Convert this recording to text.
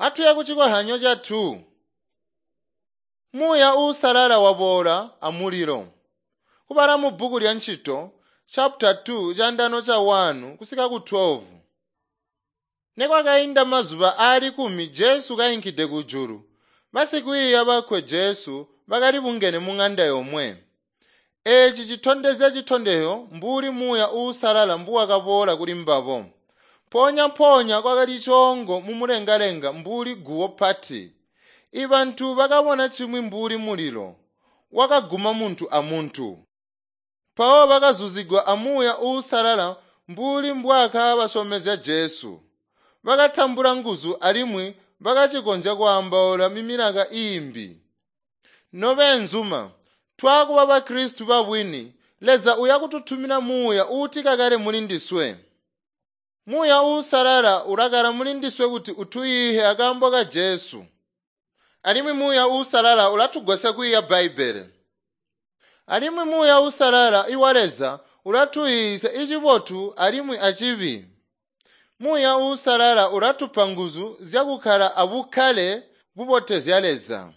Atuye kucikohyanyo ca 2. Muuya Uusalala waboola amulilo. Kubala mu bbuku lya Ncito chapter 2 candano ca 1 kusika ku 12. Nekwakainda mazuba aali 10 Jesu kainkide kujulu. Basikwiiya bakwe Jesu bakali bungene mu ng'anda yomwe. Eeci citondezya citondezyo mbuli Muuya Uusalala mbuwakaboola kuli mbabo. Mpoonya-mpoonya kwakali coongo mumulengalenga mbuli guwo pati. Ibantu bakabona cimwi mbuli mulilo, wakaguma muntu amuntu. Mpawo bakazuzigwa a Muuya Uusalala mbuli mbwaakabasyomezya Jesu. Bakatambula nguzu alimwi bakacikonzya kwaambaula mimilaka iimbi. Nobeenzuma, twakuba Bakristu babwini, Leza uyakututumina Muuya uutikakale muli ndiswe. Muuya Uusalala ulakala muli ndiswe kuti utuyihe akaambo ka Jesu. Alimwi Muuya Uusalala ulatugwasya kwiiya Bbaibbele. Alimwi Muuya Uusalala iwa Leza ulatuyiisya icibotu alimwi acibi. Muuya Uusalala ulatupa nguzu zyakukkala abukkale bubotezya Leza.